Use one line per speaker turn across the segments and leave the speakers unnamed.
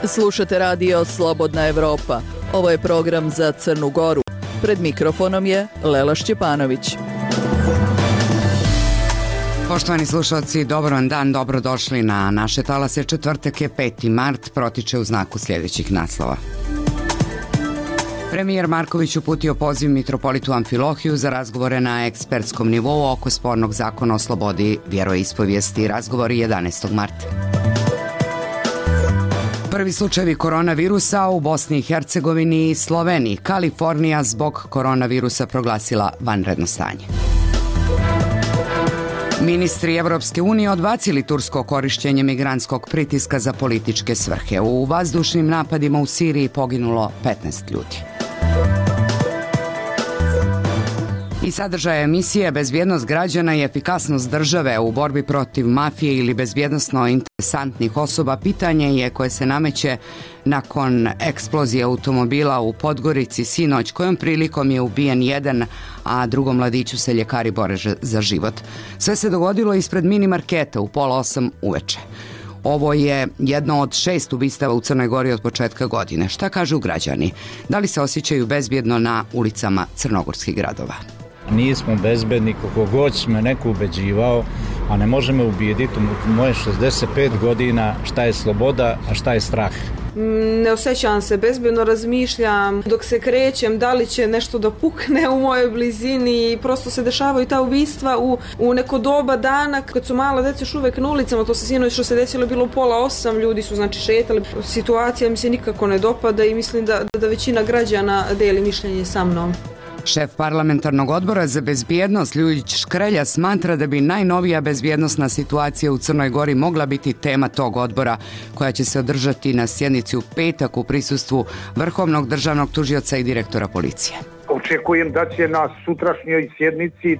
Slušate radio Slobodna Evropa. Ovo je program za Crnu Goru. Pred mikrofonom je Lela Šćepanović.
Poštovani slušalci, dobar vam dan, dobrodošli na naše talase. Četvrtak je 5. mart, protiče u znaku sljedećih naslova. Premijer Marković uputio poziv mitropolitu Amfilohiju za razgovore na ekspertskom nivou oko spornog zakona o slobodi vjeroispovijesti. Razgovori 11. marta. Prvi slučajevi koronavirusa u Bosni i Hercegovini i Sloveniji. Kalifornija zbog koronavirusa proglasila vanredno stanje. Ministri Evropske unije odbacili tursko korištenje migrantskog pritiska za političke svrhe. U vazdušnim napadima u Siriji poginulo 15 ljudi. I sadržaj emisije Bezbjednost građana i efikasnost države u borbi protiv mafije ili bezbjednosno interesantnih osoba pitanje je koje se nameće nakon eksplozije automobila u Podgorici sinoć, kojom prilikom je ubijen jedan, a drugom mladiću se ljekari bore za život. Sve se dogodilo ispred mini marketa u 7:30 uveče. Ovo je jedno od 6 ubistava u Crnoj Gori od početka godine. Šta kažu građani? Da li se osjećaju bezbjedno na ulicama crnogorskih gradova?
Nismo bezbedni, kako god me neko ubeđivao, a ne može me ubijediti u moje 65 godina šta je sloboda, a šta je strah.
Ne osjećam se bezbedno, razmišljam dok se krećem da li će nešto da pukne u mojoj blizini i prosto se dešavaju ta ubistva u neko doba dana kad su mala djeca još uvek na ulicama. To se sinoć što se desilo bilo u 7:30, ljudi su znači šetali. Situacija mi se nikako ne dopada i mislim da većina građana deli mišljenje sa mnom.
Šef parlamentarnog odbora za bezbjednost Ljujić Škrelja smatra da bi najnovija bezbjednosna situacija u Crnoj Gori mogla biti tema tog odbora, koja će se održati na sjednici u petak u prisustvu Vrhovnog državnog tužioca i direktora policije.
Očekujem da će na sutrašnjoj sjednici,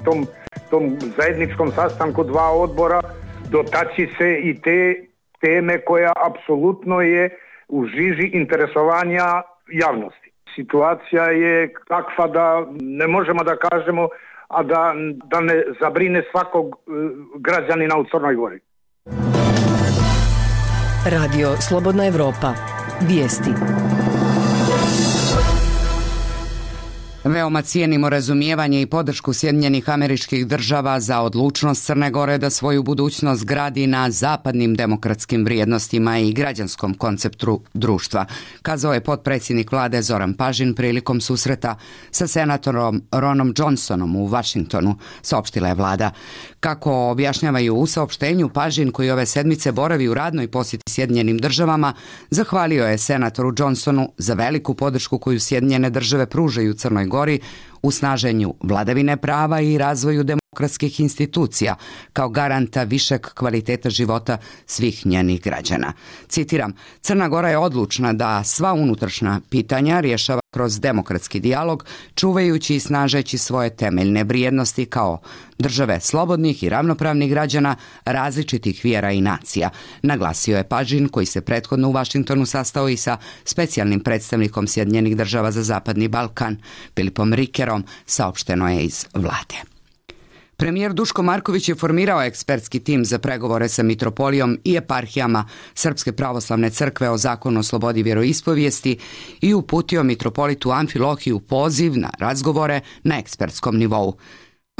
tom zajedničkom sastanku dva odbora, dotaći se i te teme koja apsolutno je u žiži interesovanja javnosti. Situacija je takva da ne možemo da kažemo, a da ne zabrine svakog građanina u Crnoj Gori.
Radio Slobodna Evropa. Vijesti.
Veoma cijenimo razumijevanje i podršku Sjedinjenih Američkih Država za odlučnost Crne Gore da svoju budućnost gradi na zapadnim demokratskim vrijednostima i građanskom konceptu društva, kazao je potpredsjednik vlade Zoran Pažin prilikom susreta sa senatorom Ronom Johnsonom u Vašingtonu, saopštila je vlada. Kako objašnjavaju u saopštenju, Pažin, koji ove sedmice boravi u radnoj posjeti Sjedinjenim Državama, zahvalio je senatoru Johnsonu za veliku podršku koju Sjedinjene Države pružaju Crnoj Gori u snaženju vladavine prava i razvoju demokratskih institucija kao garanta višeg kvaliteta života svih njenih građana. Citiram, Crna Gora je odlučna da sva unutrašnja pitanja rješava kroz demokratski dijalog, čuvajući i snažeći svoje temeljne vrijednosti kao države slobodnih i ravnopravnih građana različitih vjera i nacija, naglasio je Pažin, koji se prethodno u Vašingtonu sastao i sa specijalnim predstavnikom Sjedinjenih Država za Zapadni Balkan, Filipom Rikerom, saopšteno je iz vlade. Premijer Duško Marković je formirao ekspertski tim za pregovore sa mitropolijom i eparhijama Srpske pravoslavne crkve o zakonu o slobodi vjeroispovijesti i uputio mitropolitu Amfilohiju poziv na razgovore na ekspertskom nivou.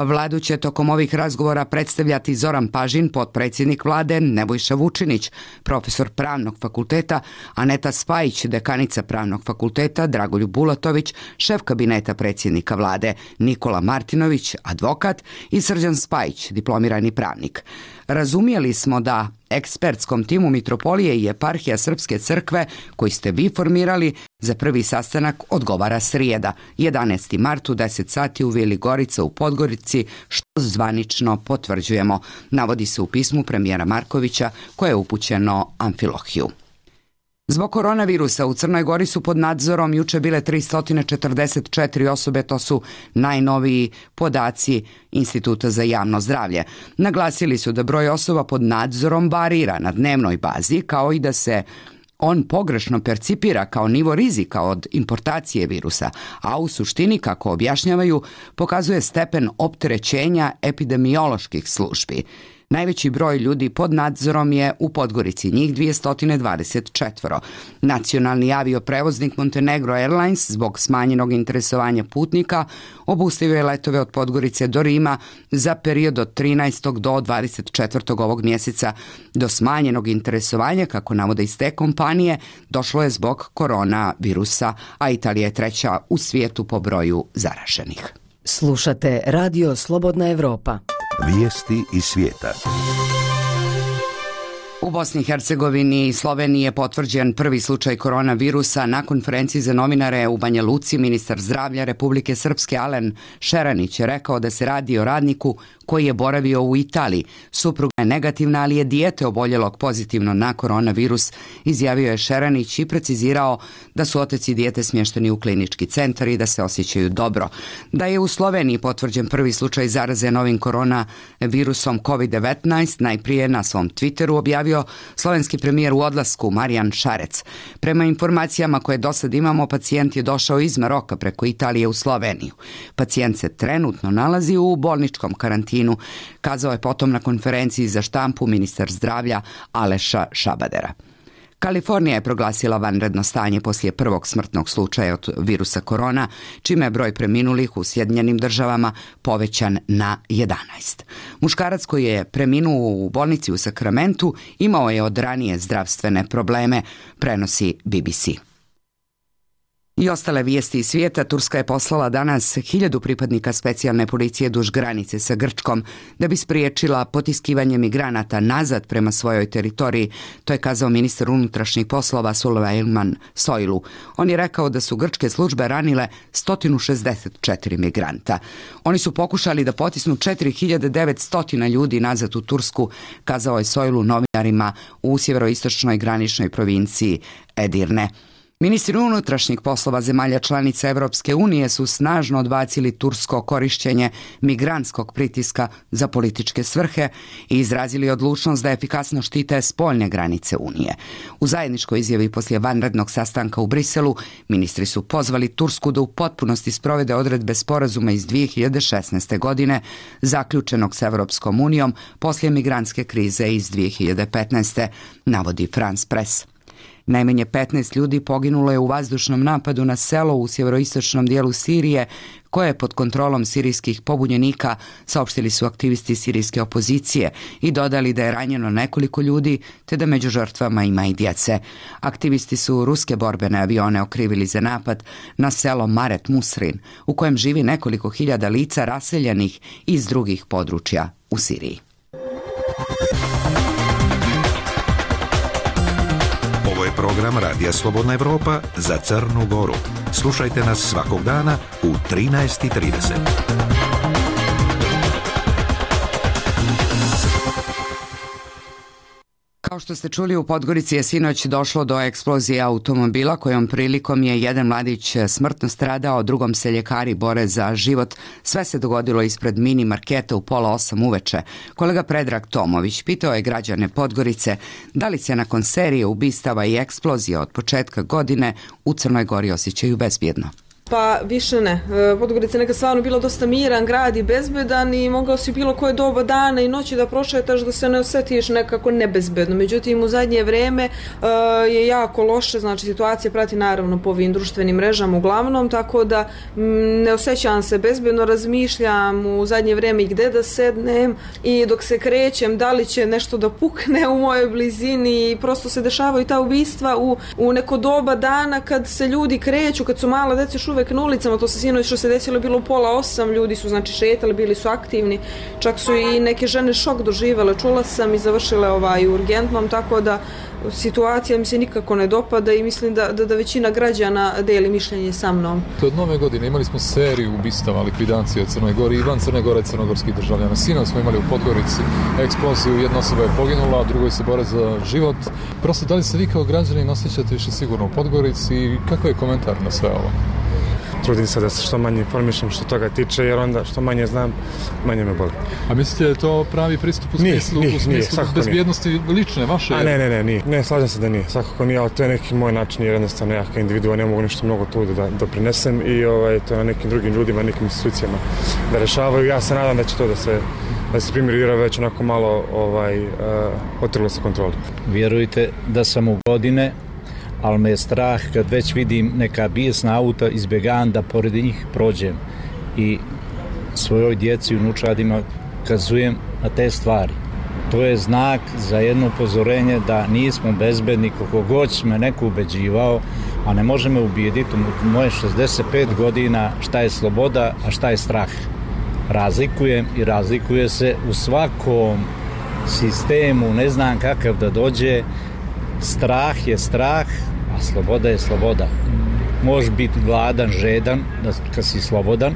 Vladu će tokom ovih razgovora predstavljati Zoran Pažin, potpredsjednik vlade, Nebojša Vučinić, profesor pravnog fakulteta, Aneta Spajić, dekanica pravnog fakulteta, Dragoljub Bulatović, šef kabineta predsjednika vlade, Nikola Martinović, advokat i Srđan Spajić, diplomirani pravnik. Razumjeli smo da ekspertskom timu mitropolije i eparhija Srpske crkve, koji ste vi formirali, za prvi sastanak odgovara srijeda, 11. mart u 10 sati u Vili Gorica u Podgorici, što zvanično potvrđujemo, navodi se u pismu premijera Markovića koje je upućeno Amfilohiju. Zbog koronavirusa u Crnoj Gori su pod nadzorom juče bile 344 osobe, to su najnoviji podaci Instituta za javno zdravlje. Naglasili su da broj osoba pod nadzorom varira na dnevnoj bazi, kao i da se on pogrešno percipira kao nivo rizika od importacije virusa, a u suštini, kako objašnjavaju, pokazuje stepen opterećenja epidemioloških službi. Najveći broj ljudi pod nadzorom je u Podgorici, njih 224. Nacionalni avioprevoznik Montenegro Airlines zbog smanjenog interesovanja putnika obustavio je letove od Podgorice do Rima za period od 13. do 24. ovog mjeseca. Do smanjenog interesovanja, kako navode iz te kompanije, došlo je zbog koronavirusa, a Italija je treća u svijetu po broju zaraženih.
Slušate Radio Slobodna Evropa.
Vijesti iz svijeta.
U Bosni i Hercegovini i Sloveniji je potvrđen prvi slučaj koronavirusa. Na konferenciji za novinare u Banja Luci ministar zdravlja Republike Srpske Alen Šeranić je rekao da se radi o radniku koji je boravio u Italiji. Supruga je negativna, ali je dijete oboljelog pozitivno na koronavirus, izjavio je Šeranić i precizirao da su otac i dijete smješteni u klinički centar i da se osjećaju dobro. Da je u Sloveniji potvrđen prvi slučaj zaraze novim koronavirusom COVID-19, najprije na svom Twitteru objavio slovenski premijer u odlasku Marijan Šarec. Prema informacijama koje do sad imamo, pacijent je došao iz Maroka preko Italije u Sloveniju. Pacijent se trenutno nalazi u bolničkom karantinu, kazao je potom na konferenciji za štampu ministar zdravlja Aleša Šabadera. Kalifornija je proglasila vanredno stanje poslije prvog smrtnog slučaja od virusa korona, čime je broj preminulih u Sjedinjenim Državama povećan na 11. Muškarac koji je preminuo u bolnici u Sakramentu imao je od ranije zdravstvene probleme, prenosi BBC. I ostale vijesti iz svijeta. Turska je poslala danas 1000 pripadnika specijalne policije duž granice sa Grčkom da bi spriječila potiskivanje migranata nazad prema svojoj teritoriji. To je kazao ministar unutrašnjih poslova Sulejman Soylu. On je rekao da su grčke službe ranile 164 migranta. Oni su pokušali da potisnu 4900 ljudi nazad u Tursku, kazao je Soylu novinarima u sjeveroistočnoj graničnoj provinciji Edirne. Ministri unutrašnjih poslova zemalja članica Evropske unije su snažno odbacili tursko korišćenje migrantskog pritiska za političke svrhe i izrazili odlučnost da efikasno štite spoljne granice Unije. U zajedničkoj izjavi poslije vanrednog sastanka u Briselu, ministri su pozvali Tursku da u potpunosti sprovede odredbe sporazuma iz 2016. godine, zaključenog s Evropskom unijom poslije migrantske krize iz 2015. navodi France Press. Najmanje 15 ljudi poginulo je u vazdušnom napadu na selo u sjeveroistočnom dijelu Sirije, koje je pod kontrolom sirijskih pobunjenika, saopštili su aktivisti sirijske opozicije i dodali da je ranjeno nekoliko ljudi, te da među žrtvama ima i djece. Aktivisti su ruske borbene avione okrivili za napad na selo Maret Musrin, u kojem živi nekoliko hiljada lica raseljenih iz drugih područja u Siriji.
Ovo je program Radija Slobodna Evropa za Crnu Goru. Slušajte nas svakog dana u 13:30.
Kao što ste čuli, u Podgorici je sinoć došlo do eksplozije automobila kojom prilikom je jedan mladić smrtno stradao, drugom se ljekari bore za život. Sve se dogodilo ispred mini marketa u 7:30 uveče. Kolega Predrag Tomović pitao je građane Podgorice da li se nakon serije ubistava i eksplozija od početka godine u Crnoj Gori osjećaju bezbjedno.
Pa više ne. Podgorica je nekad stvarno bilo dosta miran, grad i bezbedan i mogao si bilo koje doba dana i noći da prošetaš da se ne osjetiš nekako nebezbedno. Međutim, u zadnje vrijeme je jako loše, znači situacija prati naravno po ovim društvenim mrežama uglavnom, tako da ne osjećam se bezbedno, razmišljam u zadnje vrijeme i gdje da sednem i dok se krećem da li će nešto da pukne u mojoj blizini i prosto se dešavaju ta ubistva u neko doba dana kad se ljudi kreću, kad su mala djeca još uvek na ulicama, to se sinoć što se desilo bilo 7:30, ljudi su znači šetali, bili su aktivni, čak su i neke žene šok doživjele, čula sam i završile u urgentnom, tako da situacija mi se nikako ne dopada i mislim da većina građana deli mišljenje sa mnom.
Od nove godine imali smo seriju ubistava, likvidacije u Crnoj Gori i van Crne Gore crnogorskih državljana. Sinoć smo imali u Podgorici eksploziju, jedna osoba je poginula, a drugoj se bore za život. Prosto, da li se vi kao građanin osjećate više sigurno u Podgorici i kakav je komentar na sve ovo?
trudim se da se što manje informišem što toga tiče, jer onda što manje znam, manje me boli.
A mislite da je to pravi pristup u smislu bezbjednosti lične, vaše?
A ne, nije. Ne, slažem se da nije. Svakako nije, ali to je neki moj način, jer jednostavno ja kao individua ne mogu nešto mnogo tu da doprinesem i to na nekim drugim ljudima, nekim institucijama da rešavaju. Ja se nadam da će to da se primjer već onako malo otrlo sa kontroli.
Vjerujte da sam u godine, ali me je strah kad već vidim neka bijesna auta, izbjegavam da pored njih prođem i svojoj djeci i unučadima kazujem na te stvari. To je znak za jedno upozorenje da nismo bezbedni, koliko god me neko ubeđivao, a ne može me ubijediti u moje 65 godina šta je sloboda, a šta je strah. Razlikujem i razlikuje se u svakom sistemu, ne znam kakav da dođe. Strah je strah, a sloboda je sloboda. Možeš biti gladan, žedan, kad si slobodan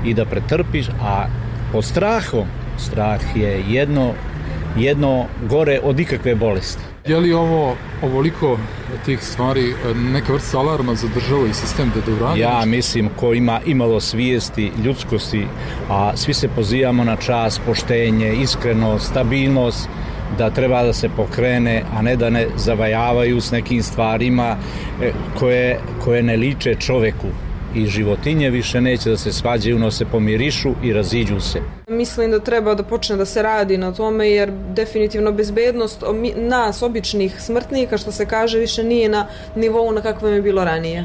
i da pretrpiš, a pod strahom, strah je jedno gore od ikakve bolesti.
Je li ovoliko tih stvari neka vrsta alarma za državu i sistem da uradi?
Ja mislim, ko ima imalo svijesti, ljudskosti, a svi se pozivamo na čast, poštenje, iskrenost, stabilnost, da treba da se pokrene, a ne da ne zavajavaju s nekim stvarima koje ne liče čoveku. I životinje više neće da se svađaju, no se pomirišu i raziđu se.
Mislim da treba da počne da se radi na tome, jer definitivno bezbednost nas, običnih smrtnika, što se kaže, više nije na nivou na kakvom je bilo ranije.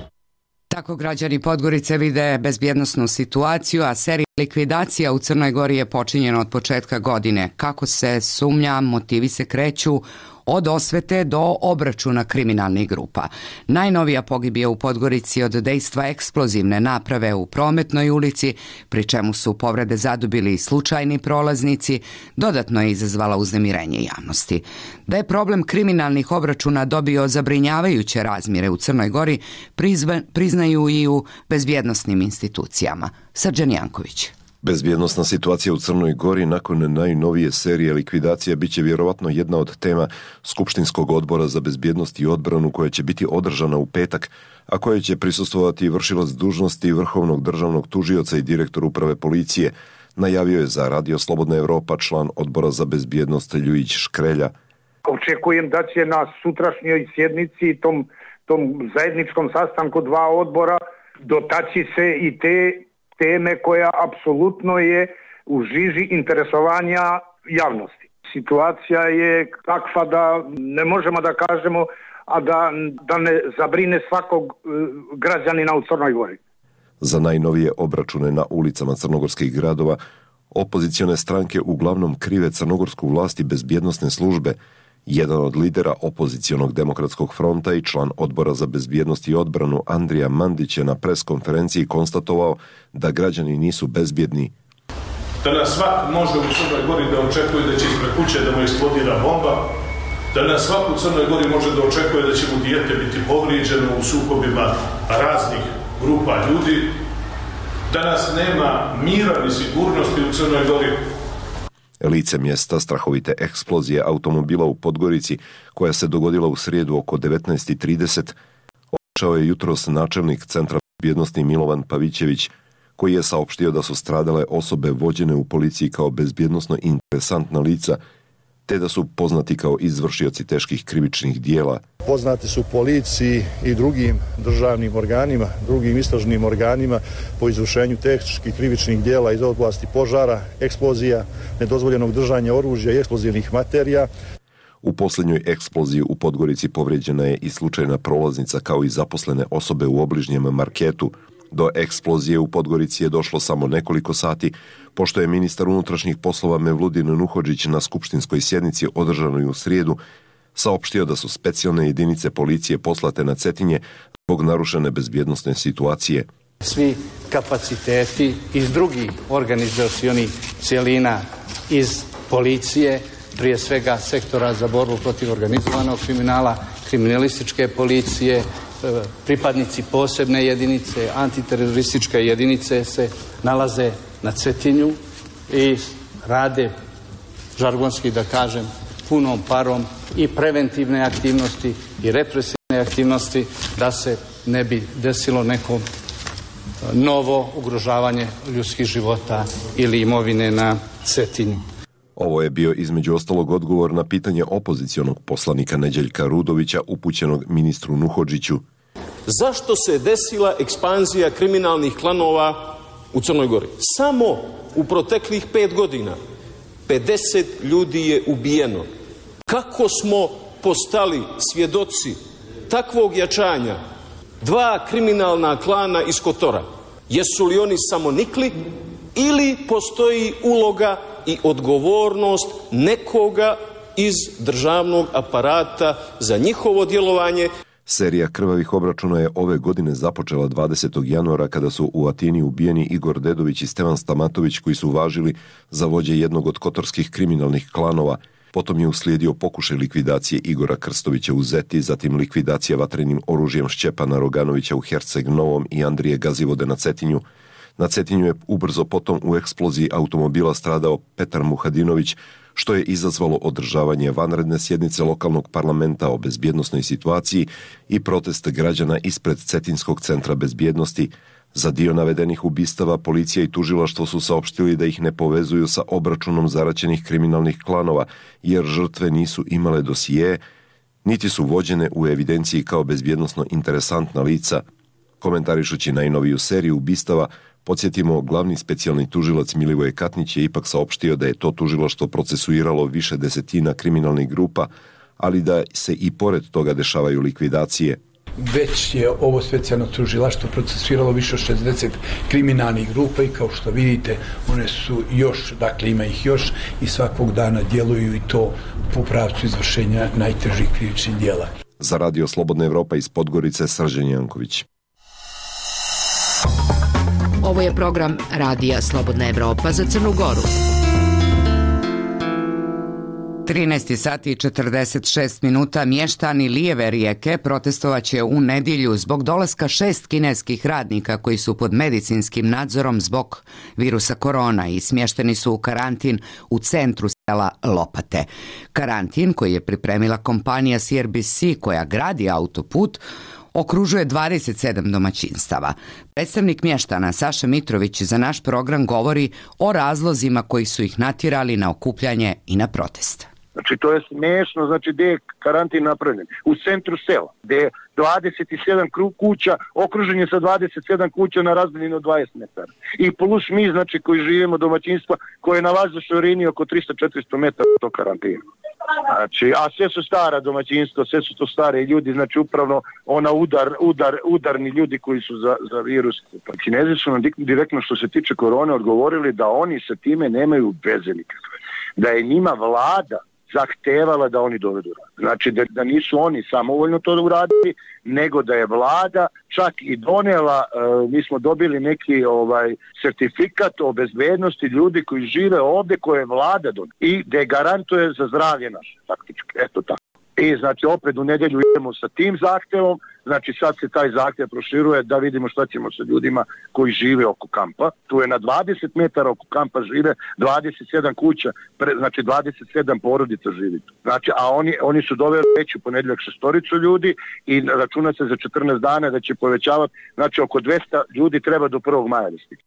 Tako građani Podgorice vide bezbjednosnu situaciju, a serija likvidacija u Crnoj Gori je počinjena od početka godine. Kako se sumnja, motivi se kreću od osvete do obračuna kriminalnih grupa. Najnovija pogibija u Podgorici od dejstva eksplozivne naprave u Prometnoj ulici, pri čemu su povrede zadobili i slučajni prolaznici, dodatno je izazvala uznemirenje javnosti. Da je problem kriminalnih obračuna dobio zabrinjavajuće razmjere u Crnoj Gori, priznaju i u bezbjednosnim institucijama. Srđan Janković.
Bezbjednosna situacija u Crnoj Gori nakon najnovije serije likvidacija biće vjerovatno jedna od tema Skupštinskog odbora za bezbjednost i odbranu koja će biti održana u petak, a koje će prisustvovati vršilac dužnosti Vrhovnog državnog tužioca i direktor uprave policije, najavio je za Radio Slobodna Evropa član odbora za bezbjednost Ljujić Škrelja.
Očekujem da će na sutrašnjoj sjednici, tom zajedničkom sastanku dva odbora, dotaći se i te teme koja apsolutno je u žiži interesovanja javnosti. Situacija je takva da ne možemo da kažemo, a da ne zabrine svakog građanina u Crnoj Gori.
Za najnovije obračune na ulicama crnogorskih gradova opozicione stranke uglavnom krive crnogorsku vlast i bezbjednosne službe. Jedan od lidera opozicionog demokratskog fronta i član odbora za bezbjednost i odbranu Andrija Mandić je na preskonferenciji konstatovao da građani nisu bezbjedni.
Danas svak može u Crnoj Gori da očekuje da će ispred kuće da mu eksplodira bomba, danas svak u Crnoj Gori može da očekuje da će mu dijete biti povrijeđeno u sukobima raznih grupa ljudi. Danas nema mira ni sigurnosti u Crnoj Gori.
Lice mjesta strahovite eksplozije automobila u Podgorici, koja se dogodila u srijedu oko 19:30, obišao je jutros načelnik Centra bezbjednosti Milovan Pavićević, koji je saopštio da su stradale osobe vođene u policiji kao bezbjednosno interesantna lica, te da su poznati kao izvršioci teških krivičnih dijela.
Poznati su policiji i drugim državnim organima, drugim istražnim organima po izvršenju teških krivičnih dijela iz oblasti požara, eksplozija, nedozvoljenog držanja oružja i eksplozivnih materija.
U posljednjoj eksploziji u Podgorici povrijeđena je i slučajna prolaznica kao i zaposlene osobe u obližnjem marketu. Do eksplozije u Podgorici je došlo samo nekoliko sati, pošto je ministar unutrašnjih poslova Mevludin Nuhodžić na skupštinskoj sjednici održanoj u srijedu saopštio da su specijalne jedinice policije poslate na Cetinje zbog narušene bezbjednosne situacije.
Svi kapaciteti iz drugih organizacionih cjelina iz policije, prije svega sektora za borbu protiv organizovanog kriminala, kriminalističke policije, pripadnici posebne jedinice, antiterorističke jedinice se nalaze na Cetinju i rade, žargonski da kažem, punom parom i preventivne aktivnosti i represivne aktivnosti da se ne bi desilo nekom novo ugrožavanje ljudskih života ili imovine na Cetinju.
Ovo je bio između ostalog odgovor na pitanje opozicionog poslanika Neđeljka Rudovića upućenog ministru Nuhodžiću.
Zašto se desila ekspanzija kriminalnih klanova u Crnoj Gori? Samo u proteklih 5 godina 50 ljudi je ubijeno. Kako smo postali svjedoci takvog jačanja 2 kriminalna klana iz Kotora? Jesu li oni samo nikli ili postoji uloga i odgovornost nekoga iz državnog aparata za njihovo djelovanje?
Serija krvavih obračuna je ove godine započela 20. januara kada su u Atini ubijeni Igor Dedović i Stevan Stamatović koji su važili za vođe jednog od kotorskih kriminalnih klanova. Potom je uslijedio pokušaj likvidacije Igora Krstovića u Zeti, zatim likvidacija vatrenim oružjem Šćepana Roganovića u Herceg Novom i Andrije Gazivode na Cetinju. Na Cetinju je ubrzo potom u eksploziji automobila stradao Petar Muhadinović, što je izazvalo održavanje vanredne sjednice lokalnog parlamenta o bezbjednosnoj situaciji i protest građana ispred Cetinskog centra bezbjednosti. Za dio navedenih ubistava policija i tužilaštvo su saopštili da ih ne povezuju sa obračunom zaraćenih kriminalnih klanova, jer žrtve nisu imale dosije, niti su vođene u evidenciji kao bezbjednosno interesantna lica. Komentarišući najnoviju seriju ubistava, podsjetimo, glavni specijalni tužilac Milivoje Katnić je ipak saopštio da je to tužilaštvo procesuiralo više desetina kriminalnih grupa, ali da se i pored toga dešavaju likvidacije.
Već je ovo specijalno tužilaštvo procesuiralo više od 60 kriminalnih grupa i kao što vidite one su još, dakle ima ih još i svakog dana djeluju i to po pravcu izvršenja najtežih krivičnih djela.
Za Radio Slobodna Evropa iz Podgorice, Srđan Janković.
Ovo je program Radija Slobodna Evropa za Crnu Goru.
13 sati i 46 minuta mještani Lijeve Rijeke protestovaće u nedjelju zbog dolaska 6 kineskih radnika koji su pod medicinskim nadzorom zbog virusa korona i smješteni su u karantin u centru sela Lopate. Karantin koji je pripremila kompanija CRBC koja gradi autoput okružuje 27 domaćinstava. Predstavnik mještana Saša Mitrović za naš program govori o razlozima koji su ih natjerali na okupljanje i na protest.
Znači to je smiješno, znači gdje je karantin napravljen? U centru sela, gdje je 27 kuća, okružen je sa 27 kuća na razdaljini od 20 metara. I plus mi, znači koji živimo domaćinstva, koje nalaze u širini oko 300-400 metara do karantina. Znači, a sve su stara domaćinstva, sve su to stare ljudi, znači upravno ona udarni ljudi koji su za virus. Kinezi su nam direktno što se tiče korone odgovorili da oni sa time nemaju veze nikakve. Da je njima vlada zahtevala da oni dovedu rad. Znači da nisu oni samovoljno to uradili, nego da je vlada čak i donijela, mi smo dobili neki sertifikat o bezbednosti ljudi koji žive ovdje koje je vlada donijela i da garantuje za zdravlje naše, faktički, eto tako. I znači opet u nedjelju idemo sa tim zahtjevom, znači sad se taj zahtjev proširuje da vidimo šta ćemo sa ljudima koji žive oko kampa. Tu je na 20 metara oko kampa žive 27 kuća, znači 27 porodica živi tu. Znači, a oni su doveli već u ponedjeljak 6 ljudi i računa se za 14 dana da će povećavati, znači oko 200 ljudi treba do 1. maja da stigne.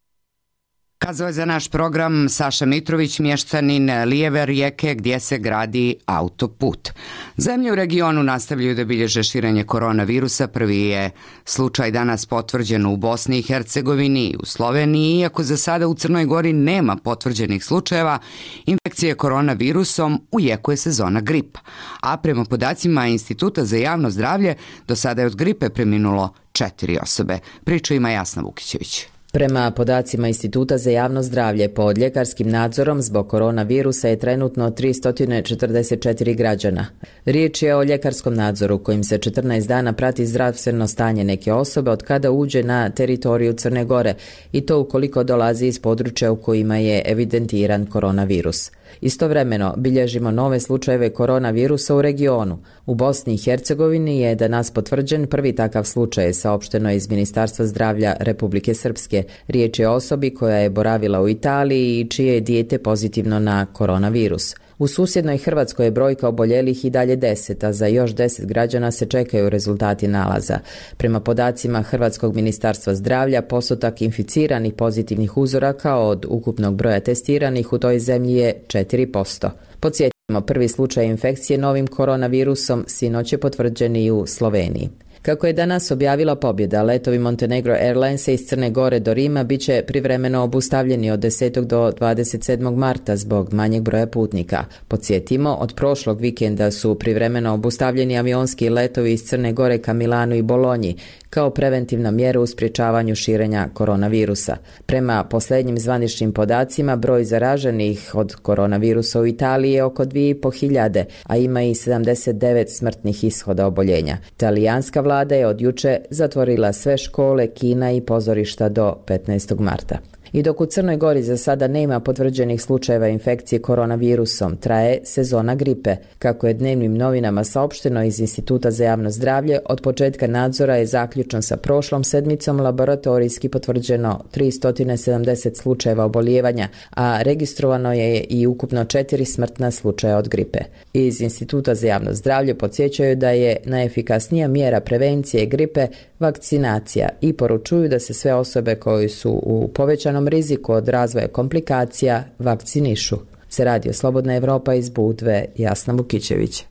Kazao je za naš program Saša Mitrović, mještanin Lijeve Rijeke gdje se gradi autoput. Zemlje u regionu nastavljaju da bilježe širenje koronavirusa. Prvi je slučaj danas potvrđen u Bosni i Hercegovini i u Sloveniji, iako za sada u Crnoj Gori nema potvrđenih slučajeva infekcije koronavirusom, u jeku je sezona gripa. A prema podacima Instituta za javno zdravlje, do sada je od gripe preminulo 4 osobe. Priču ima Jasna Vukićević.
Prema podacima Instituta za javno zdravlje, pod ljekarskim nadzorom zbog koronavirusa je trenutno 344 građana. Riječ je o ljekarskom nadzoru kojim se 14 dana prati zdravstveno stanje neke osobe od kada uđe na teritoriju Crne Gore i to ukoliko dolazi iz područja u kojima je evidentiran koronavirus. Istovremeno bilježimo nove slučajeve koronavirusa u regionu. U Bosni i Hercegovini je danas potvrđen prvi takav slučaj, saopšteno iz Ministarstva zdravlja Republike Srpske. Riječ je o osobi koja je boravila u Italiji i čije je dijete pozitivno na koronavirus. U susjednoj Hrvatskoj je brojka oboljelih i dalje 10, a za još 10 građana se čekaju rezultati nalaza. Prema podacima Hrvatskog ministarstva zdravlja, postotak inficiranih pozitivnih uzoraka od ukupnog broja testiranih u toj zemlji je 4%. Podsjetimo, prvi slučaj infekcije novim koronavirusom sinoć je potvrđen i u Sloveniji. Kako je danas objavila Pobjeda, letovi Montenegro Airlinesa iz Crne Gore do Rima bit će privremeno obustavljeni od 10. do 27. marta zbog manjeg broja putnika. Podsjetimo, od prošlog vikenda su privremeno obustavljeni avionski letovi iz Crne Gore ka Milanu i Bolonji kao preventivna mjera u sprječavanju širenja koronavirusa. Prema posljednjim zvaničnim podacima, broj zaraženih od koronavirusa u Italiji je oko 2.500, a ima i 79 smrtnih ishoda oboljenja. Talijanska vlada je od juče zatvorila sve škole, kina i pozorišta do 15. marta. I dok u Crnoj Gori za sada nema potvrđenih slučajeva infekcije koronavirusom, traje sezona gripe. Kako je dnevnim novinama saopšteno iz Instituta za javno zdravlje, od početka nadzora je zaključno sa prošlom sedmicom laboratorijski potvrđeno 370 slučajeva obolijevanja, a registrovano je i ukupno 4 smrtna slučaja od gripe. Iz Instituta za javno zdravlje podsjećaju da je najefikasnija mjera prevencije gripe vakcinacija i poručuju da se sve osobe koje su u povećanom riziku od razvoja komplikacija vakcinišu. Se Radio Slobodna Evropa iz Budve, Jasna Vukićević.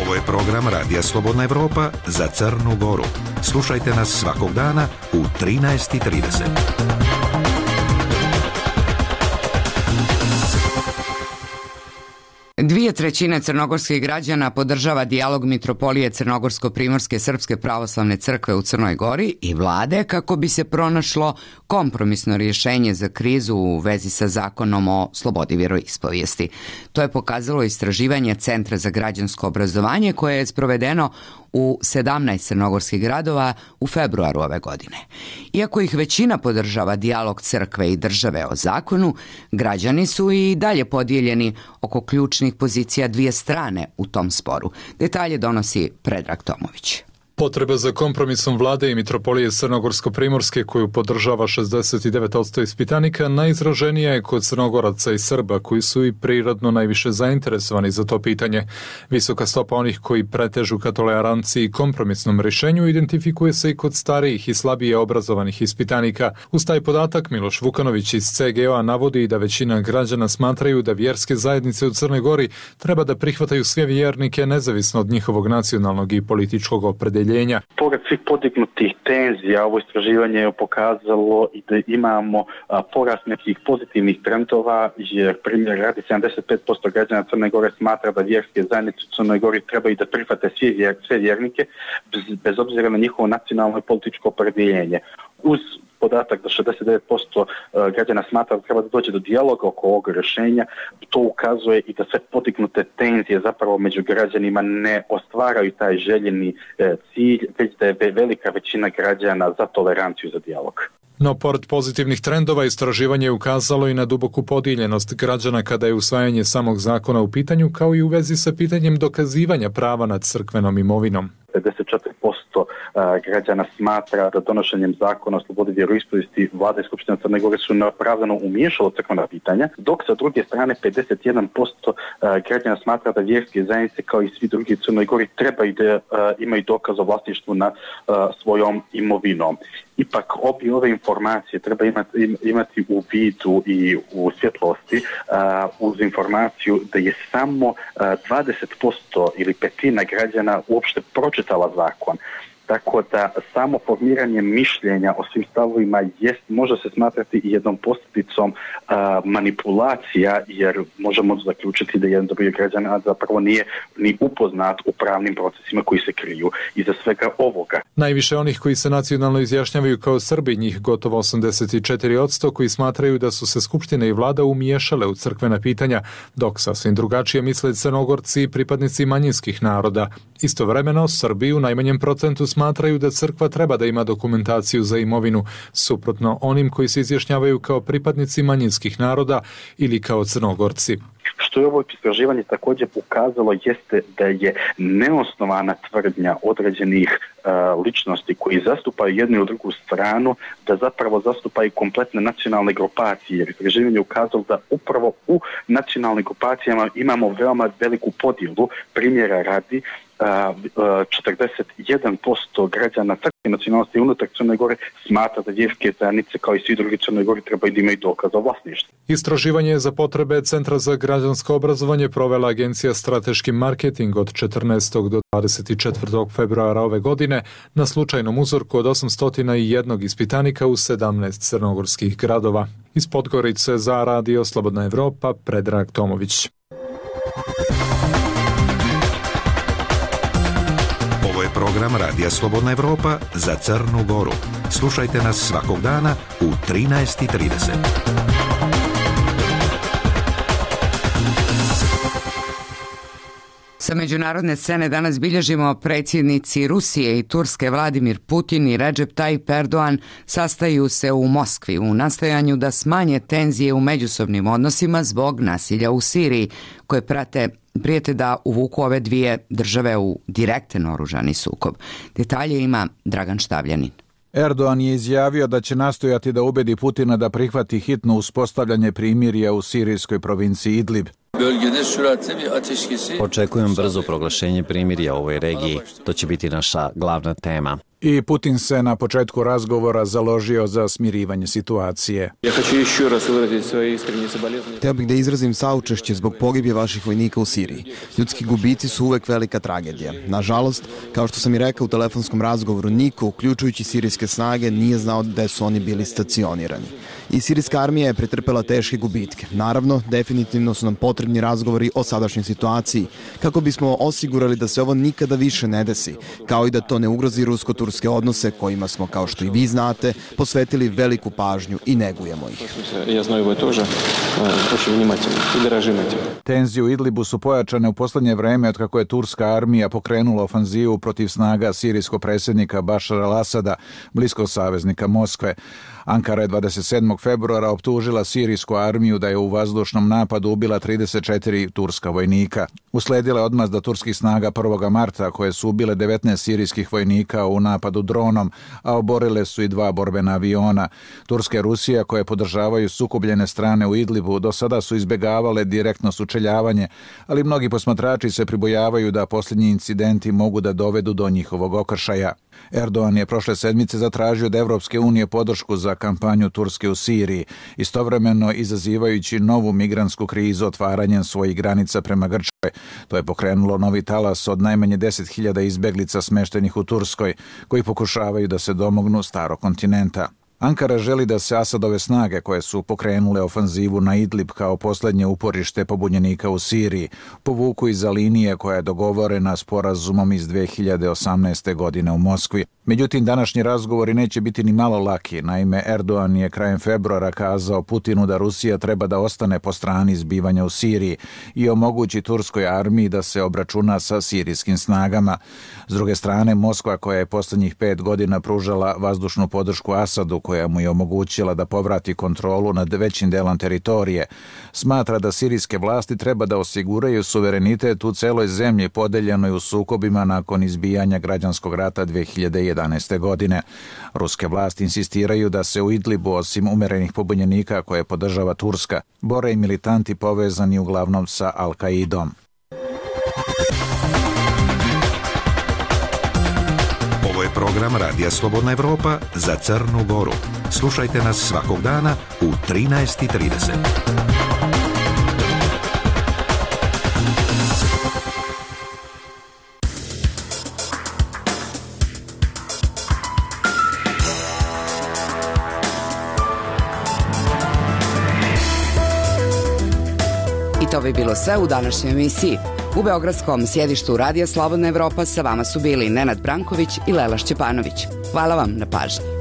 Ovo je program Radija Slobodna Evropa za Crnu Goru. Slušajte nas svakog dana u 13:30.
2/3 crnogorskih građana podržava dijalog Mitropolije Crnogorsko-Primorske Srpske pravoslavne crkve u Crnoj Gori i vlade kako bi se pronašlo kompromisno rješenje za krizu u vezi sa zakonom o slobodi vjeroispovijesti. To je pokazalo istraživanje Centra za građansko obrazovanje koje je sprovedeno u 17 crnogorskih gradova u februaru ove godine. Iako ih većina podržava dijalog crkve i države o zakonu, građani su i dalje podijeljeni oko ključnih pozicija dvije strane u tom sporu. Detalje donosi Predrag Tomović.
Potreba za kompromisom vlade i Mitropolije Crnogorsko-Primorske, koju podržava 69% ispitanika, najizraženija je kod Crnogoraca i Srba, koji su i prirodno najviše zainteresovani za to pitanje. Visoka stopa onih koji pretežu ka toleranciji i kompromisnom rješenju identifikuje se i kod starijih i slabije obrazovanih ispitanika. Uz taj podatak Miloš Vukanović iz CGO-a navodi da većina građana smatraju da vjerske zajednice u Crnoj Gori treba da prihvataju sve vjernike nezavisno od njihovog nacionalnog i političkog opredjeljenja.
Pored svih podignutih tenzija, ovo istraživanje je pokazalo i da imamo porast nekih pozitivnih trendova, jer primjer radi 75% građana Crne Gore smatra da vjerske zajednice u Crnoj Gori trebaju da prihvate sve vjernike bez obzira na njihovo nacionalno i političko opredjeljenje. Uz podatak da 69% građana smatra da treba da dođe do dijaloga oko ovog rješenja, to ukazuje i da sve podignute tenzije zapravo među građanima ne ostvaraju taj željeni cilj, već da je velika većina građana za toleranciju, za dijalog.
No, pored pozitivnih trendova, istraživanje je ukazalo i na duboku podijeljenost građana kada je usvajanje samog zakona u pitanju, kao i u vezi sa pitanjem dokazivanja prava nad crkvenom imovinom.
54% građana smatra da donošenjem zakona o slobodi vjeroispovijesti vlada i Skupština Crne Gore su neopravdano umiješalo crkvena pitanja, dok sa druge strane 51% građana smatra da vjerske zajednice kao i svi drugi u Crnoj Gori trebaju da imaju dokaz o vlasništvu nad svojom imovinom. Ipak ove informacije treba imati u vidu i u svjetlosti uz informaciju da je samo 20% ili petina građana uopšte pročitala zakon. Tako da samo formiranje mišljenja o svim stavovima može se smatrati i jednom posljedicom manipulacija, jer možemo zaključiti da jedan broj građana zapravo nije ni upoznat u pravnim procesima koji se kriju iza svega ovoga.
Najviše onih koji se nacionalno izjašnjavaju kao Srbi, njih gotovo 84%, koji smatraju da su se Skupština i vlada umiješale u crkvena pitanja, dok sasvim drugačije misle Crnogorci i pripadnici manjinskih naroda. Istovremeno, Srbi u najmanjem procentu smatraju da crkva treba da ima dokumentaciju za imovinu, suprotno onim koji se izjašnjavaju kao pripadnici manjinskih naroda ili kao Crnogorci.
Što je ovo istraživanje također pokazalo jeste da je neosnovana tvrdnja određenih ličnosti koji zastupaju jednu ili drugu stranu, da zapravo zastupaju kompletne nacionalne grupacije, jer istraživanje je ukazalo da upravo u nacionalnim grupacijama imamo veoma veliku podjelu. Primjera radi, 41% građana crkve nacionalnosti unutar Crne Gore smatra da vjerske zajednice kao i svi drugi Crne Gore trebaju da imaju dokaz o vlasništvu.
Istraživanje za potrebe Centra za građansko obrazovanje provela Agencija Strateški marketing od 14. do 24. februara ove godine na slučajnom uzorku od 801 ispitanika u 17 crnogorskih gradova. Iz Podgorice za Radio Slobodna Evropa, Predrag Tomović.
Ovo je program Radija Slobodna Evropa za Crnu Goru. Slušajte nas svakog dana u 13:30.
Sa međunarodne scene danas bilježimo predsjednici Rusije i Turske Vladimir Putin i Recep Tayyip Erdogan sastaju se u Moskvi u nastojanju da smanje tenzije u međusobnim odnosima zbog nasilja u Siriji, koje prijete da uvuku ove dvije države u direktan oružani sukob. Detalje ima Dragan Štavljanin.
Erdogan je izjavio da će nastojati da ubedi Putina da prihvati hitno uspostavljanje primirja u sirijskoj provinciji Idlib.
Očekujem brzo proglašenje primirja u ovoj regiji. To će biti naša glavna tema.
I Putin se na početku razgovora založio za smirivanje situacije.
Htio bih da izrazim saučešće zbog pogibije vaših vojnika u Siriji. Ljudski gubici su uvek velika tragedija. Nažalost, kao što sam i rekao u telefonskom razgovoru, niko, uključujući sirijske snage, nije znao gde su oni bili stacionirani. I sirijska armija je pretrpela teške gubitke. Naravno, definitivno su nam potrebni razgovori o sadašnjoj situaciji, kako bismo osigurali da se ovo nikada više ne desi, kao i da to ne ugrozi rusko-turske odnose kojima smo, kao što i vi znate, posvetili veliku pažnju i negujemo ih.
Tenzije u Idlibu su pojačane u posljednje vreme od kako je turska armija pokrenula ofanzivu protiv snaga sirijskog predsjednika Bašara al-Asada, bliskog saveznika Moskve. Ankara je 27. februara optužila sirijsku armiju da je u vazdušnom napadu ubila 34 turska vojnika. Usledila je odmazda turskih snaga 1. marta koje su ubile 19 sirijskih vojnika u napadu dronom, a oborile su i 2 borbena aviona. Turska i Rusija, koje podržavaju sukobljene strane u Idlibu, do sada su izbjegavale direktno sučeljavanje, ali mnogi posmatrači se pribojavaju da posljednji incidenti mogu da dovedu do njihovog okršaja. Erdogan je prošle sedmice zatražio od Evropske unije podršku za kampanju Turske u Siriji, istovremeno izazivajući novu migrantsku krizu otvaranjem svojih granica prema Grčkoj. To je pokrenulo novi talas od najmanje 10.000 izbeglica smeštenih u Turskoj, koji pokušavaju da se domognu starog kontinenta. Ankara želi da se Asadove snage, koje su pokrenule ofanzivu na Idlib kao posljednje uporište pobunjenika u Siriji, povuku iza linije koja je dogovorena sporazumom iz 2018. godine u Moskvi. Međutim, današnji razgovori neće biti ni malo laki. Naime, Erdogan je krajem februara kazao Putinu da Rusija treba da ostane po strani zbivanja u Siriji i omogući turskoj armiji da se obračuna sa sirijskim snagama. S druge strane, Moskva, koja je posljednjih 5 godina pružala vazdušnu podršku Asadu, koja mu je omogućila da povrati kontrolu nad većim delom teritorije, smatra da sirijske vlasti treba da osiguraju suverenitet u celoj zemlji podeljenoj u sukobima nakon izbijanja građanskog rata 2011. godine. Ruske vlasti insistiraju da se u Idlibu, osim umerenih pobunjenika koje podržava Turska, bore i militanti povezani uglavnom sa Al-Kaidom.
Ovo je program Radija Slobodna Evropa za Crnu Goru. Slušajte nas svakog dana u 13:30.
I to bi bilo sve u današnjoj emisiji. U beogradskom sjedištu Radija Slobodna Evropa sa vama su bili Nenad Branković i Lela Šćepanović. Hvala vam na pažnji.